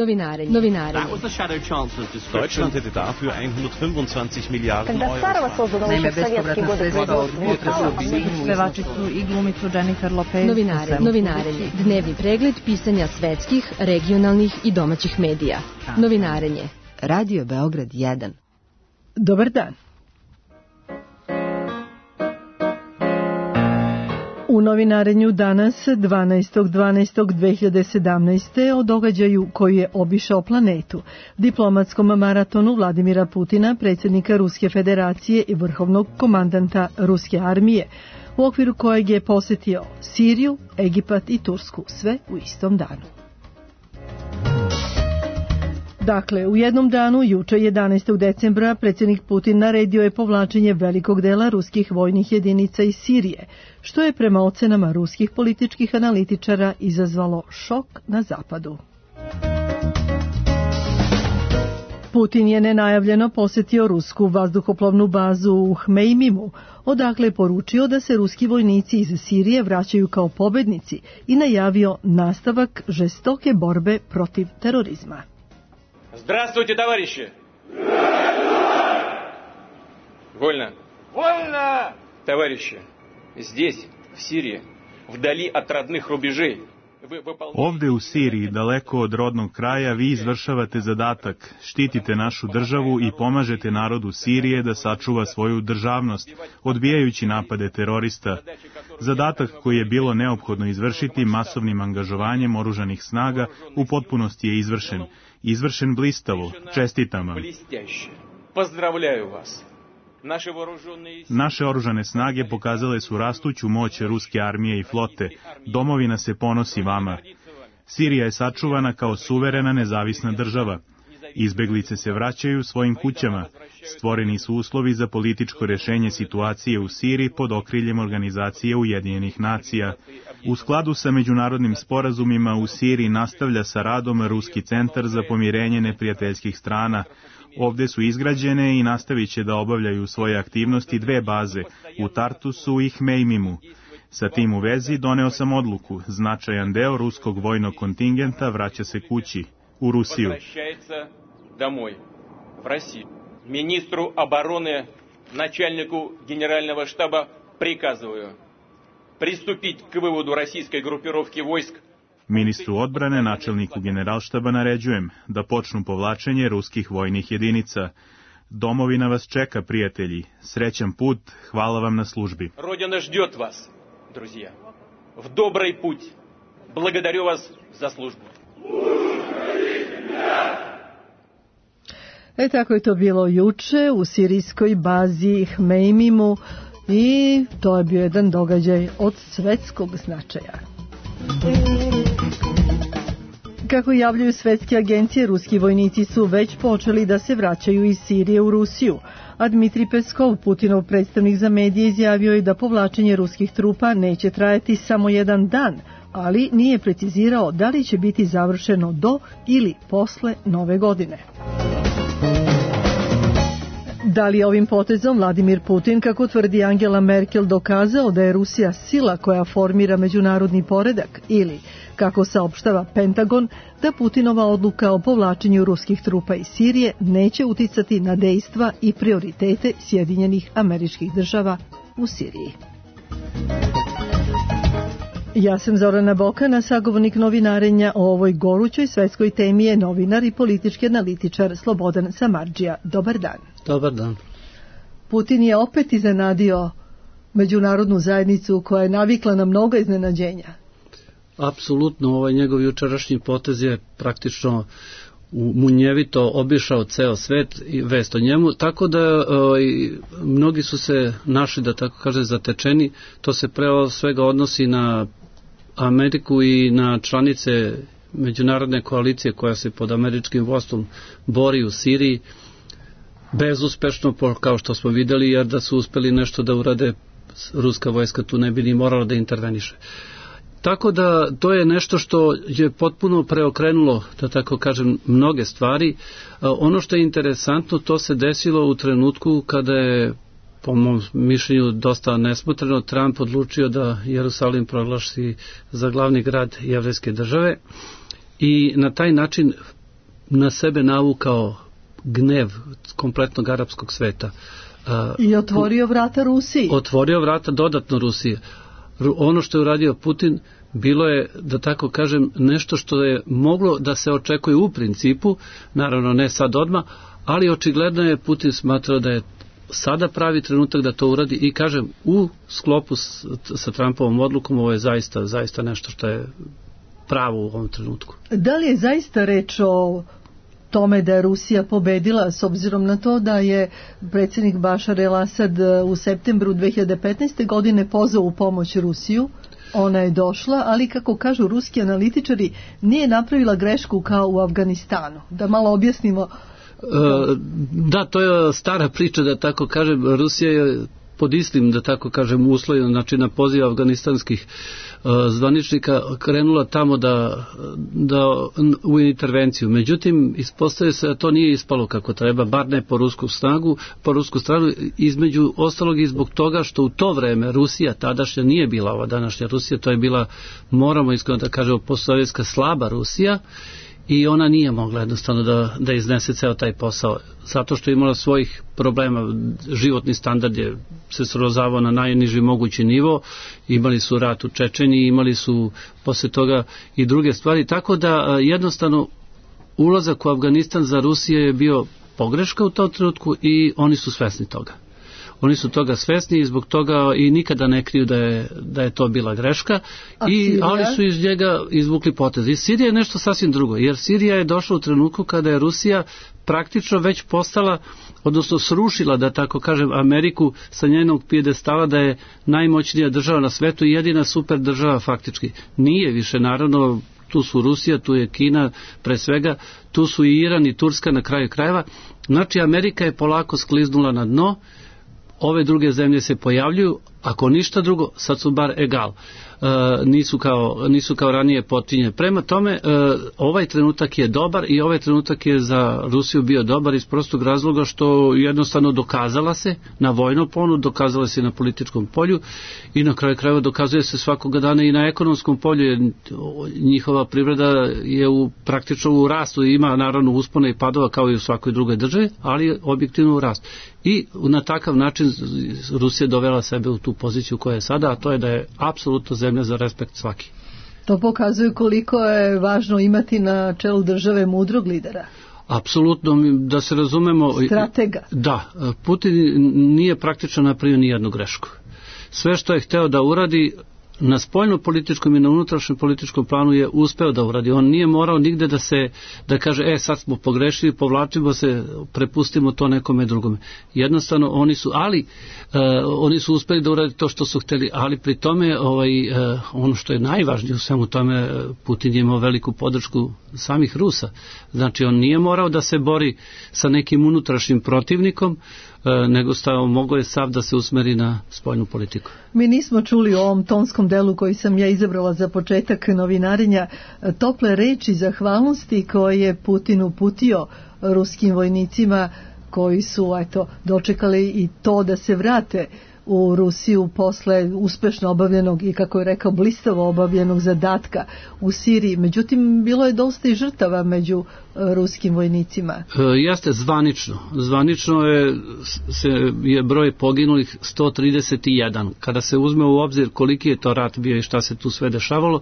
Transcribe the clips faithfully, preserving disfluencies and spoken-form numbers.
Novinarenje. Novinarenje. Deutschland hätte dafür hundertfünfundzwanzig Milliarden Euro. Naime, bespovratna sredstva od pevačicu i glumicu Jennifer Lopez. Novinarenje. Novinarenje. Dnevni pregled pisanja svetskih, regionalnih i domaćih medija. Novinarenje. Radio Beograd jedan. Dobar dan. U novinarenju danas, dvanaestog dvanaestog dve hiljade sedamnaeste. o događaju koji je obišao planetu, diplomatskom maratonu Vladimira Putina, predsjednika Ruske federacije i vrhovnog komandanta Ruske armije, u okviru kojeg je posjetio Siriju, Egipat i Tursku, sve u istom danu. Dakle, u jednom danu, juče jedanaestog decembra, predsjednik Putin naredio je povlačenje velikog dela ruskih vojnih jedinica iz Sirije, što je prema ocenama ruskih političkih analitičara izazvalo šok na zapadu. Putin je nenajavljeno posjetio rusku vazduhoplovnu bazu u Hmeimimu, odakle je poručio da se ruski vojnici iz Sirije vraćaju kao pobednici i najavio nastavak žestoke borbe protiv terorizma. Здравствуйте, товарищи! Вольно! Вольно! Товарищи, здесь, в Сирии, вдали от родных рубежей, ovde u Siriji, daleko od rodnog kraja, vi izvršavate zadatak, štitite našu državu i pomažete narodu Sirije da sačuva svoju državnost, odbijajući napade terorista. Zadatak koji je bilo neophodno izvršiti masovnim angažovanjem oružanih snaga u potpunosti je izvršen. Izvršen blistavo. Čestitam vam. Naše oružane snage pokazale su rastuću moć ruske armije i flote. Domovina se ponosi vama. Sirija je sačuvana kao suverena nezavisna država. Izbeglice se vraćaju svojim kućama. Stvoreni su uslovi za političko rješenje situacije u Siriji pod okriljem Organizacije Ujedinjenih nacija. U skladu sa međunarodnim sporazumima u Siriji nastavlja sa radom Ruski centar za pomirenje neprijateljskih strana. Ovde su izgrađene i nastavit će da obavljaju svoje aktivnosti dve baze, u Tartusu i Hmeimimu. Sa tim u vezi doneo sam odluku. Značajan deo ruskog vojnog kontingenta vraća se kući, u Rusiju. Ministru obrane, начальнику генерального штаба приказываю приступить к выводу российской группировки войск. Ministru odbrane, načelniku generalštaba naređujem da počnu povlačenje ruskih vojnih jedinica. Domovina vas čeka, prijatelji. Srećan put, hvala vam na službi. Родина ждет вас, друзья. В добрый путь. Благодарю вас за службу. E tako je to bilo juče u sirijskoj bazi Hmeimimu i to je bio jedan događaj od svetskog značaja. Kako javljaju svetske agencije, ruski vojnici su već počeli da se vraćaju iz Sirije u Rusiju, a Dmitrij Peskov, Putinov predstavnik za medije, izjavio je da povlačenje ruskih trupa neće trajati samo jedan dan, ali nije precizirao da li će biti završeno do ili posle nove godine. Da li je ovim potezom Vladimir Putin, kako tvrdi Angela Merkel, dokazao da je Rusija sila koja formira međunarodni poredak ili, kako saopštava Pentagon, da Putinova odluka o povlačenju ruskih trupa iz Sirije neće uticati na dejstva i prioritete Sjedinjenih Američkih Država u Siriji? Ja sam Zorana Bokana, sagovornik novinarenja. O ovoj gorućoj svetskoj temi je novinar i politički analitičar Slobodan Samardžija. Dobar dan. Dobar dan. Putin je opet iznenadio međunarodnu zajednicu koja je navikla na mnoga iznenađenja. Apsolutno, ovaj njegov jučerašnji potez je praktično munjevito obišao ceo svet i vest o njemu, tako da o, i, mnogi su se našli, da tako kaže, zatečeni. To se pre svega odnosi na Ameriku i na članice međunarodne koalicije koja se pod američkim vodstvom bori u Siriji, bezuspešno, kao što smo videli, jer da su uspeli nešto da urade, ruska vojska tu ne bi ni morala da interveniše. Tako da to je nešto što je potpuno preokrenulo, da tako kažem, mnoge stvari. Ono što je interesantno, to se desilo u trenutku kada je, po mom mišljenju dosta nesmotreno, Trump odlučio da Jerusalim proglasi za glavni grad jevrejske države i na taj način na sebe navukao gnev kompletnog arapskog sveta. I otvorio vrata Rusiji. Otvorio vrata dodatno Rusije. Ono što je uradio Putin bilo je, da tako kažem, nešto što je moglo da se očekuje u principu, naravno ne sad odmah, ali očigledno je Putin smatrao da je sada pravi trenutak da to uradi i kažem, u sklopu s, sa Trumpovom odlukom ovo je zaista, zaista nešto što je pravo u ovom trenutku. Da li je zaista reč o tome da je Rusija pobedila, s obzirom na to da je predsjednik Bašar el-Asad u septembru dve hiljade petnaeste. godine pozvao u pomoć Rusiju? Ona je došla, ali kako kažu ruski analitičari, nije napravila grešku kao u Afganistanu. Da malo objasnimo. Da, to je stara priča, da tako kažem. Rusija je pod istim, da tako kažem, uslovima, znači na poziv afganistanskih uh, zvaničnika krenula tamo da, da u intervenciju. Međutim, ispostavlja se da to nije ispalo kako treba, bar ne po rusku snagu, po rusku stranu, između ostalog i zbog toga što u to vreme Rusija tadašnja nije bila ova današnja Rusija, to je bila, moramo iskreno da kažemo, postsovjetska slaba Rusija, i ona nije mogla jednostavno da, da iznese ceo taj posao, zato što je imala svojih problema, životni standard je se srozavao na najniži mogući nivo, imali su rat u Čečeniji, imali su posle toga i druge stvari, tako da jednostavno ulazak u Afganistan za Rusiju je bio pogreška u tom trenutku i oni su svesni toga. Oni su toga svesni i zbog toga i nikada ne kriju da je, da je to bila greška, i, ali su iz njega izvukli potez. I Sirija je nešto sasvim drugo, jer Sirija je došla u trenutku kada je Rusija praktično već postala, odnosno srušila, da tako kažem, Ameriku sa njenog pijedestala da je najmoćnija država na svetu i jedina super država faktički. Nije više, naravno, tu su Rusija, tu je Kina, pre svega, tu su i Iran i Turska na kraju krajeva. Znači, Amerika je polako skliznula na dno, ove druge zemlje se pojavljuju, ako ništa drugo, sad su bar egal. E, nisu, kao, nisu kao ranije potinje. Prema tome, e, ovaj trenutak je dobar i ovaj trenutak je za Rusiju bio dobar iz prostog razloga što jednostavno dokazala se na vojnom polju, dokazala se na političkom polju i na kraju krajeva dokazuje se svakoga dana i na ekonomskom polju, jer njihova privreda je u, praktično u rastu, ima naravno uspona i padova kao i u svakoj drugoj državi, ali objektivno u rastu. I na takav način Rusija dovela sebe u tu poziciju koja je sada, a to je da je apsolutno zemlja za respekt svaki. To pokazuje koliko je važno imati na čelu države mudrog lidera. Apsolutno, da se razumemo. Stratega. Da, Putin nije praktično napravio ni jednu grešku. Sve što je hteo da uradi na spoljno-političkom i na unutrašnjem političkom planu je uspeo da uradi. On nije morao nigde da se, da kaže, e, sad smo pogrešili, povlačimo se, prepustimo to nekome drugome. Jednostavno, oni su, ali, uh, oni su uspeli da uradi to što su hteli, ali pri tome, ovaj, uh, ono što je najvažnije u svemu tome, Putin je imao veliku podršku samih Rusa. Znači, on nije morao da se bori sa nekim unutrašnjim protivnikom, nego stavio, mogo je sav da se usmeri na spoljnu politiku. Mi nismo čuli u ovom tonskom delu koji sam ja izabrala za početak novinarenja tople reči zahvalnosti koje je Putin uputio ruskim vojnicima koji su eto, dočekali i to da se vrate u Rusiju posle uspešno obavljenog i, kako je rekao, blistavo obavljenog zadatka u Siriji. Međutim, bilo je dosta i žrtava među ruskim vojnicima. E, jeste, zvanično. Zvanično je, se, je broj poginulih sto trideset jedan. Kada se uzme u obzir koliki je to rat bio i šta se tu sve dešavalo,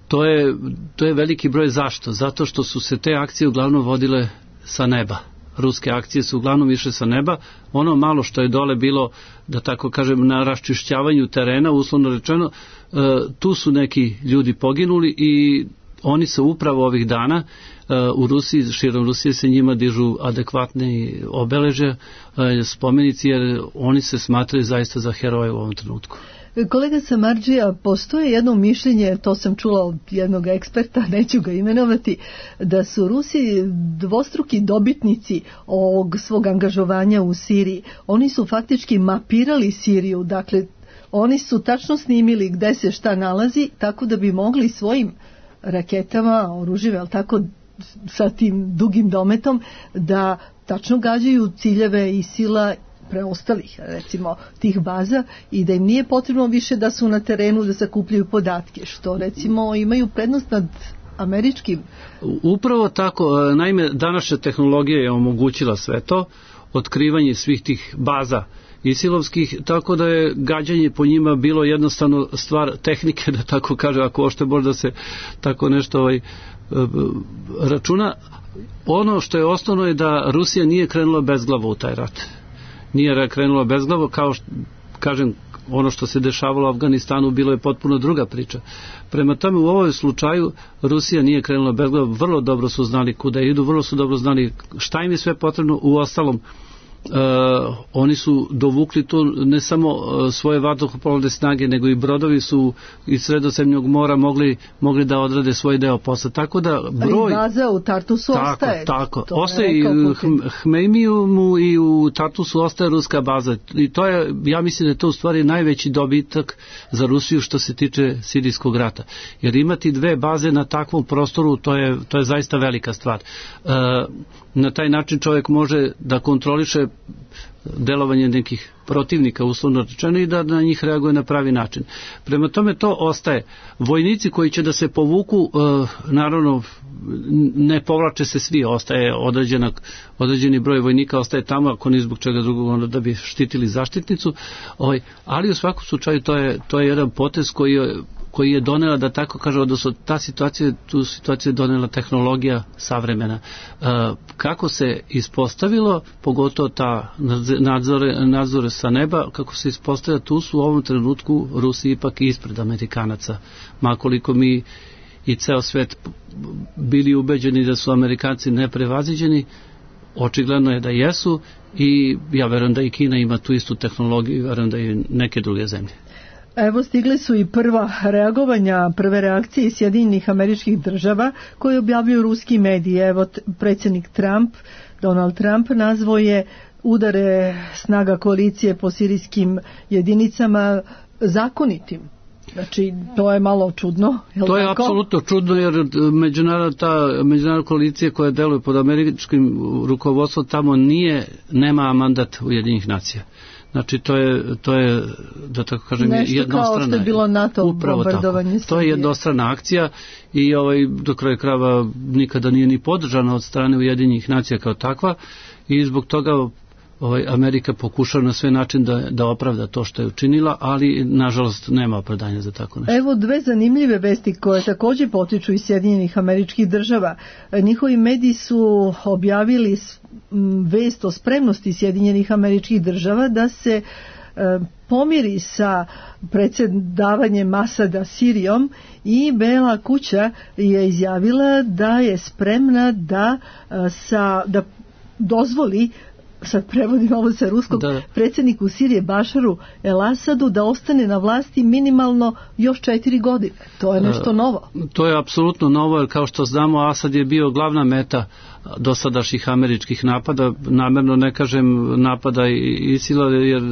to je, to je veliki broj. Zašto? Zato što su se te akcije uglavnom vodile sa neba. Ruske akcije su uglavnom išle sa neba. Ono malo što je dole bilo, da tako kažem, na raščišćavanju terena, uslovno rečeno, e, tu su neki ljudi poginuli i oni se upravo ovih dana e, u Rusiji, širom Rusije se njima dižu adekvatne obeleže, e, spomenici, jer oni se smatraju zaista za heroje u ovom trenutku. Kolega Samardžija, postoje jedno mišljenje, to sam čula od jednog eksperta, neću ga imenovati, da su Rusi dvostruki dobitnici ovog svog angažovanja u Siriji. Oni su faktički mapirali Siriju, dakle oni su tačno snimili gde se šta nalazi, tako da bi mogli svojim raketama, oružjima, ali tako sa tim dugim dometom, da tačno gađaju ciljeve i sila preostalih, recimo, tih baza i da im nije potrebno više da su na terenu da sakupljaju podatke, što recimo imaju prednost nad američkim? Upravo tako. Naime, današnja tehnologija je omogućila sve to, otkrivanje svih tih baza isilovskih, tako da je gađanje po njima bilo jednostavno stvar tehnike, da tako kaže, ako ošte možda se tako nešto ovaj, računa. Ono što je osnovno je da Rusija nije krenula bezglavo u taj rat. Nije krenula bezglavo, kao što, kažem, ono što se dešavalo u Afganistanu bilo je potpuno druga priča. Prema tome, u ovom slučaju Rusija nije krenula bezglavo, vrlo dobro su znali kuda idu, vrlo su dobro znali šta im je sve potrebno. U ostalom, Uh, oni su dovukli tu ne samo uh, svoje vazduhoplovne snage, nego i brodovi su iz Sredozemnog mora mogli, mogli da odrade svoj deo posla. Tako da broj... I baza u Tartusu tako, ostaje. Tako, tako. Ostaje i u Hmejmijumu i u Tartusu ostaje ruska baza. I to je, ja mislim da je to u stvari najveći dobitak za Rusiju što se tiče sirijskog rata. Jer imati dve baze na takvom prostoru, to je, to je zaista velika stvar. Uh, na taj način čovjek može da kontroliše delovanje nekih protivnika, uslovno rečeno, i da na njih reaguje na pravi način. Prema tome to ostaje. Vojnici koji će da se povuku, naravno ne povlače se svi, ostaje određena, određeni broj vojnika ostaje tamo, ako ni zbog čega drugog, onda da bi štitili zaštitnicu, ali u svakom slučaju to je, to je jedan potez koji je koji je donela, da tako kaže, odnosno ta situacija, tu situaciju je donela tehnologija savremena. E, kako se ispostavilo, pogotovo ta nadzore, nadzore sa neba, kako se ispostavlja, tu su u ovom trenutku Rusi ipak ispred Amerikanaca. Makoliko mi i ceo svet bili ubeđeni da su Amerikanci neprevaziđeni, očigledno je da jesu i ja verujem da i Kina ima tu istu tehnologiju i verujem da i neke druge zemlje. Evo, stigli su i prva reagovanja, prve reakcije iz Sjedinjenih Američkih Država koje objavljuju ruski mediji. Evo, predsjednik Trump, Donald Trump, nazvao je udare snaga koalicije po sirijskim jedinicama zakonitim. Znači, to je malo čudno. Je to je tako? Apsolutno čudno, jer međunarodna, ta međunarodna koalicija koja deluje pod američkim rukovodstvom tamo nije, nema mandat Ujedinjenih nacija. Znači, to je, to je da tako kažem, nešto jednostrana. Nešto kao što je bilo NATO bombardovanje Srbije. To je jednostrana akcija i ovaj, do kraja krajeva nikada nije ni podržana od strane Ujedinjenih nacija kao takva i zbog toga ovaj, Amerika pokušava na sve način da, da opravda to što je učinila, ali nažalost nema opravdanja za tako nešto. Evo dve zanimljive vesti koje također potiču iz Sjedinjenih Američkih Država. Njihovi mediji su objavili vest o spremnosti Sjedinjenih Američkih Država da se e, pomiri sa predsjedavanjem Asada Sirijom i Bela kuća je izjavila da je spremna da, sa, da dozvoli, sad prevodim ovo sa ruskog, da. predsjedniku Sirije Bašaru El Asadu da ostane na vlasti minimalno još četiri godine. To je nešto novo. E, to je apsolutno novo, jer kao što znamo, Asad je bio glavna meta dosadašnjih američkih napada. Namerno ne kažem napada i Isila, jer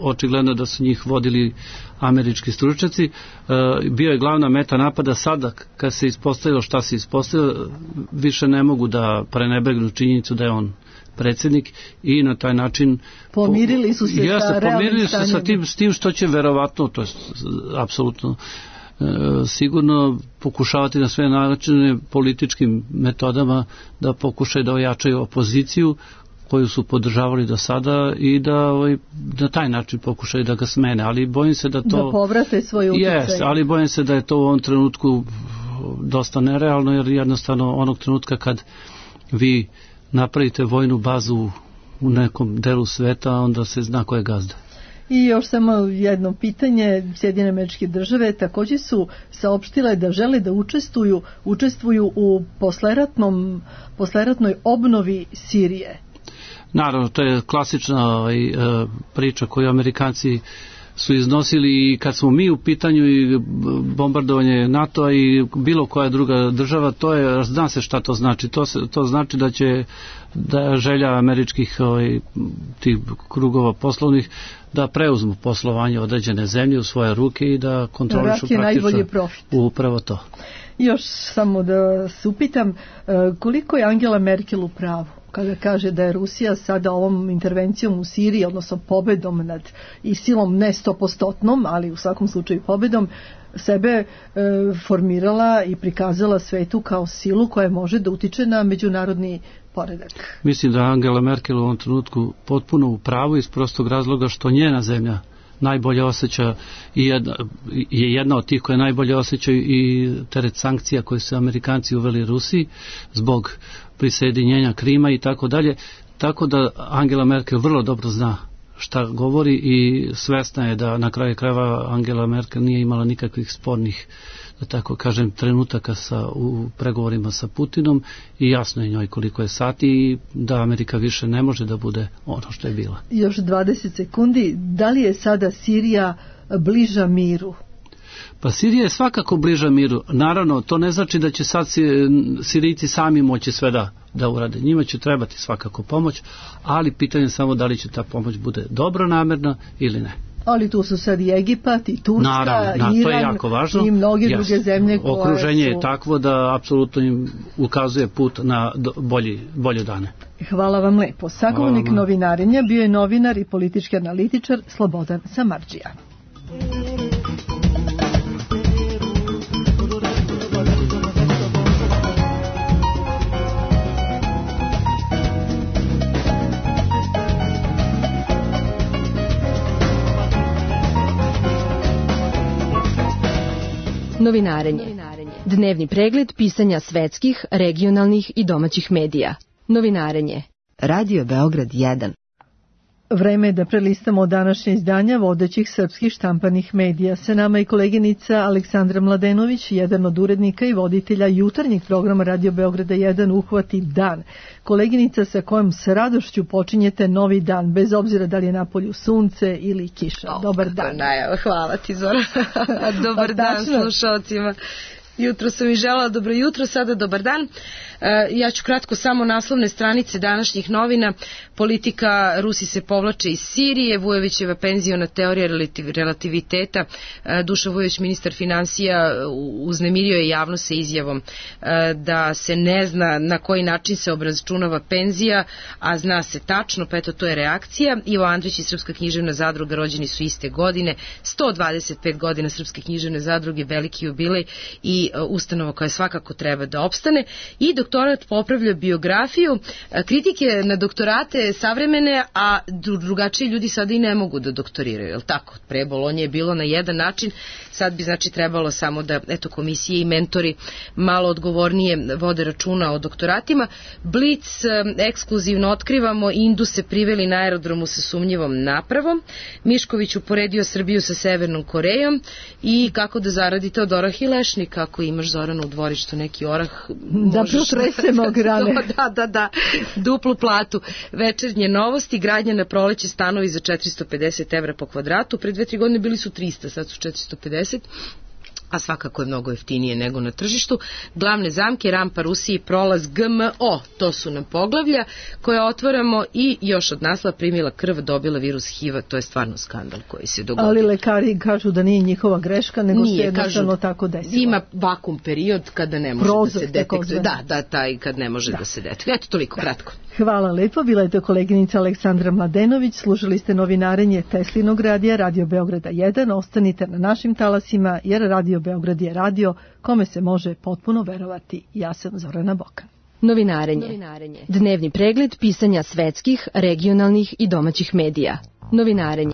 očigledno da su njih vodili američki stručnjaci. E, bio je glavna meta napada. Sada, kad se ispostavilo šta se ispostavilo, više ne mogu da prenebregnu činjenicu da je on predsjednik i na taj način pomirili su se jeste, sa pomirili su se sa tim, s tim što će verovatno, to je apsolutno e, sigurno pokušavati na sve načine političkim metodama da pokušaju da ojačaju opoziciju koju su podržavali do sada i da ovaj, na taj način pokušaju da ga smene, ali bojim se da to da povrate svoj utjecaj. Yes, ali bojim se da je to u ovom trenutku dosta nerealno, jer jednostavno onog trenutka kad vi napravite vojnu bazu u nekom delu sveta, onda se zna ko je gazda. I još samo jedno pitanje. Sjedinjene Američke Države također su saopštile da žele da učestvuju, učestvuju u posleratnom, posleratnoj obnovi Sirije. Naravno, to je klasična ovaj, priča koju Amerikanci su iznosili i kad smo mi u pitanju i bombardovanje NATO-a i bilo koja druga država, to je, zna se šta to znači. To, se, to znači da će da želja američkih ovaj, tih krugova poslovnih da preuzmu poslovanje određene zemlje u svoje ruke i da kontrolišu praktično upravo to. Još samo da se upitam, koliko je Angela Merkel u pravu? kada kaže da je Rusija sada ovom intervencijom u Siriji, odnosno pobedom nad ISIL-om, ne stopostotnom, ali u svakom slučaju pobedom, sebe e, formirala i prikazala svetu kao silu koja može da utiče na međunarodni poredak. Mislim da Angela Merkel u ovom trenutku potpuno u pravu iz prostog razloga što njena zemlja najbolje osjeća i jedna, je jedna od tih koje najbolje osjećaju i teret sankcija koje su Amerikanci uveli Rusiji zbog prisjedinjenja Krima i tako dalje. Tako da Angela Merkel vrlo dobro zna šta govori i svesna je da na kraju krajeva Angela Merkel nije imala nikakvih spornih, da tako kažem, trenutaka sa, u pregovorima sa Putinom i jasno je njoj koliko je sati i da Amerika više ne može da bude ono što je bila. Još dvadeset sekundi. Da li je sada Sirija bliža miru? Pa Sirija je svakako bliža miru. Naravno, to ne znači da će sad Sirijci sami moći sve da, da urade. Njima će trebati svakako pomoć, ali pitanje je samo da li će ta pomoć bude dobronamerna ili ne. Ali tu su sad i Egipat, i Turska, Naravno, Iran to je jako važno. I mnoge Jasno. druge zemlje koje Okruženje su... je takvo da apsolutno im ukazuje put na bolji, bolje dane. Hvala vam lepo. Sagovornik novinarenja bio je novinar i politički analitičar Slobodan Samardžija. Novinarenje. Dnevni pregled pisanja svetskih, regionalnih i domaćih medija. Novinarenje. Radio Beograd jedan. Vreme je da prelistamo današnje izdanja vodećih srpskih štampanih medija. Sa nama i koleginica Aleksandra Mladenović, jedan od urednika i voditelja jutarnjeg programa Radio Beograda jedan Uhvati dan. Koleginica sa kojom s radošću počinjete novi dan, bez obzira da li je napolju sunce ili kiša. O, Dobar dan. Najav, hvala ti, Zora. Dobar dan slušalcima. Jutro sam i želela dobro jutro, sada dobar dan. Ja ću kratko samo naslovne stranice današnjih novina. Politika, Rusi se povlače iz Sirije, Vujovićeva penziona teorija relativiteta. Dušan Vujović, ministar finansija, uznemirio je javnost sa izjavom da se ne zna na koji način se obračunava penzija, a zna se tačno, pa eto to je reakcija. Ivo Andrić i Srpska književna zadruga rođeni su iste godine, sto dvadeset pet godina Srpske književne zadruge, veliki jubilej i ustanova koja svakako treba da opstane. I doktorat popravlja biografiju, kritike na doktorate savremene, a drugačiji ljudi sada i ne mogu da doktoriraju, je li tako? Pre Bolonje je bilo na jedan način, sad bi znači trebalo samo da eto komisije i mentori malo odgovornije vode računa o doktoratima. Blic, ekskluzivno otkrivamo, Induse priveli na aerodromu sa sumnjivom napravom, Mišković uporedio Srbiju sa Severnom Korejom i kako da zaradite od oraha i lešnika, ako imaš, Zorana, u dvorištu neki orah, da protresemo grane. Da, da, da, duplu platu. Večernje novosti, gradnja na proleće, stanovi za četiristo pedeset evra po kvadratu, pre dve, tri godine bili su trista, sad su četiristo pedeset, a svakako je mnogo jeftinije nego na tržištu. Glavne zamke, rampa Rusiji, prolaz G M O, to su nam poglavlja koje otvaramo i još od naslova primila krv, dobila virus H I V-a, to je stvarno skandal koji se dogodio. Ali lekari kažu da nije njihova greška, nego nije, se jednostavno kažu, tako desilo. Ima vakum period kada ne može Prozor, da se detektuje. Da, da, taj kad ne može da, da se detektuje. Eto, toliko, da. Kratko. Hvala lepo, bila je to koleginica Aleksandra Mladenović, slušali ste novinarenje Teslinog radija, Radio Beograda jedan, ostanite na našim talasima, jer Radio Beograd je radio kome se može potpuno verovati. Ja sam Zorana Bokan. Novinarenje. Novinarenje. Dnevni pregled pisanja svetskih, regionalnih i domaćih medija. Novinarenje.